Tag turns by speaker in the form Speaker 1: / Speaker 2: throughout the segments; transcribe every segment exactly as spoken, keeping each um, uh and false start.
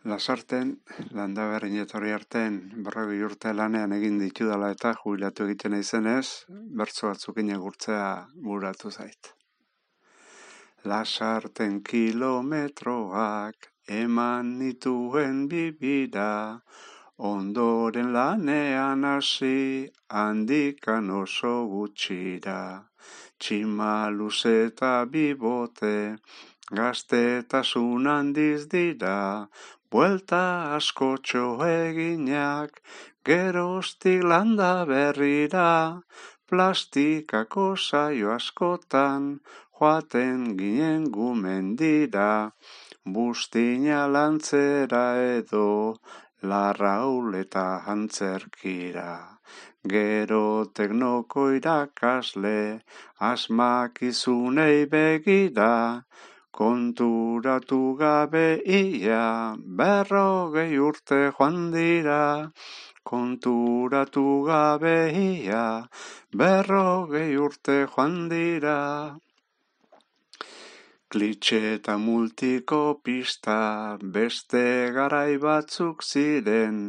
Speaker 1: Lasarten, Landaberrin etorri artean berrogei urte lanean egin ditudala eta jubilatu egiten naizenez, bertso batzuk inagurtzea buratu zait. Lasarten kilometroak eman nituen bibira, ondoren lanean hasi handikan oso gutxira. Txima luze eta bibote, gaztetasun handiz dira, buelta askotxo eginak, geroztik Landaberrira, plastikako saio askotan, joaten ginen gumendira, buztina lantzera edo, larraul eta antzerkira. Gero teknoko irakasle, asmakizunei begira, konturatu gabe ia, berrogei urte joan dira. Konturatu gabe ia, berrogei urte joan dira. Klitxe eta multiko pista, beste garai batzuk ziren,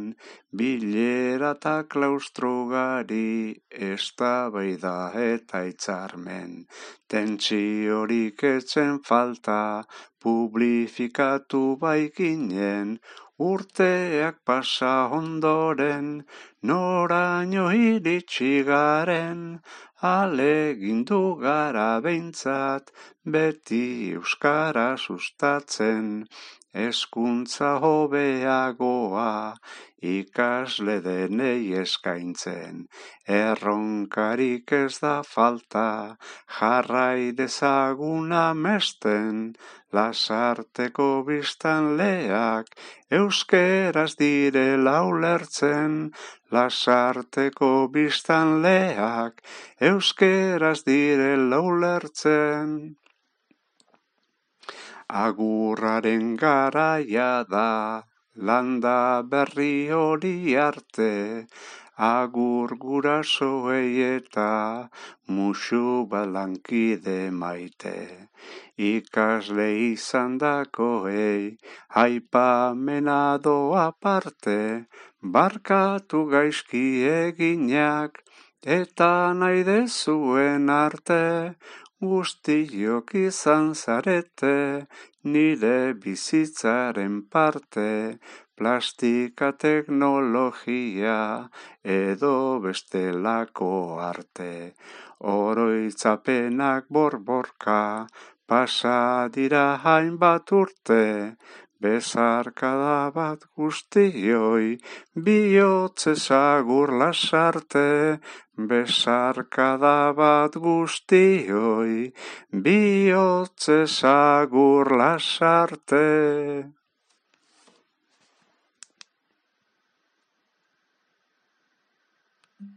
Speaker 1: bilera eta klaustrugari, eztabaida eta hitzarmen. Tentsiorik etzen falta, publifikatu baikinen, urteak pasa ondoren, noraino iritsi garen, alegindu gara behintzat, beti euskara sustatzen, hezkuntza hobeagoa, ikasle denei eskaintzen. Erronkarik ez da falta, jarrai dezagun amesten, Lasarteko biztanleak, euskeraz direla ulertzen. Lasarteko biztanleak, euskeraz direla ulertzen. Agurraren garaia da, Landaberri hori arte, agur gurasoei eta musu balankide maite. Ikasle izandakoei, aipamena doa parte, barkatu gaizki eginak, eta nahi dezuen arte, guztiok izan zarete, nire bizitzaren parte, plastika teknologia, edo bestelako arte. Oroitzapenak borborka, pasa dira hainbat urte, bezarkada bat guztioi, bihotz agur Lasarte, bezarkada bat guztioi, bihotz agur Lasarte.